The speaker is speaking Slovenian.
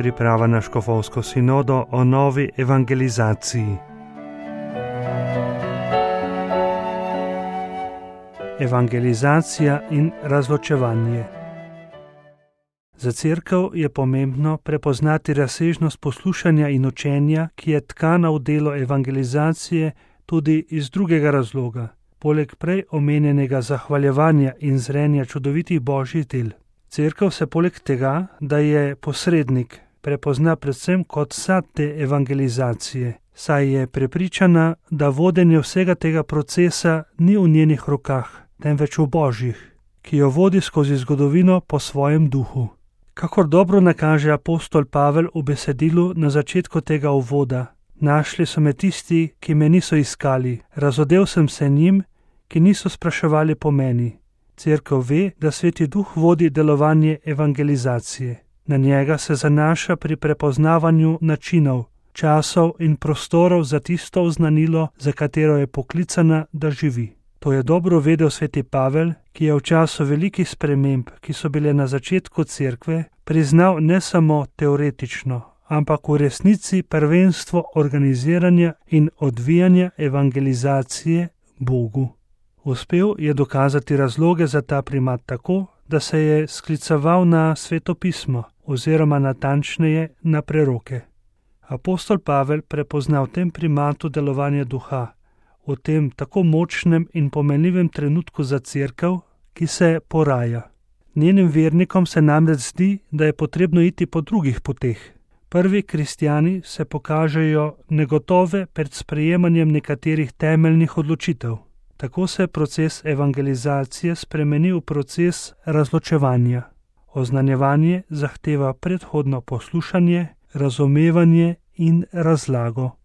Priprava na škofovsko sinodo o novi evangelizaciji. Evangelizacija in razločevanje. Za cerkev je pomembno prepoznati razsežnost poslušanja in učenja, ki je tkana v delo evangelizacije tudi iz drugega razloga, poleg prej omenjenega zahvaljevanja in zrenja čudovitih božjih del. Cerkev se poleg tega, da je posrednik, prepozna predvsem kot sad te evangelizacije, saj je prepričana, da vodenje vsega tega procesa ni v njenih rokah, temveč v božjih, ki jo vodi skozi zgodovino po svojem duhu. Kakor dobro nakaže apostol Pavel v besedilu na začetku tega uvoda: našli so me tisti, ki me niso iskali, razodel sem se njim, ki niso spraševali po meni. Cerkev ve, da Sveti Duh vodi delovanje evangelizacije. Na njega se zanaša pri prepoznavanju načinov, časov in prostorov za tisto oznanilo, za katero je poklicana, da živi. To je dobro vedel sveti Pavel, ki je v času velikih sprememb, ki so bile na začetku cerkve, priznal ne samo teoretično, ampak v resnici prvenstvo organiziranja in odvijanja evangelizacije Bogu. Uspel je dokazati razloge za ta primat tako, da se je skliceval na Sveto pismo, oziroma natančneje na preroke. Apostol Pavel prepozna v tem primatu delovanje duha, v tem tako močnem in pomenljivem trenutku za cerkev, ki se poraja. Njenim vernikom se namreč zdi, da je potrebno iti po drugih poteh. Prvi kristjani se pokažejo negotove pred sprejemanjem nekaterih temeljnih odločitev. Tako se proces evangelizacije spremeni v proces razločevanja. Oznanjevanje zahteva predhodno poslušanje, razumevanje in razlago.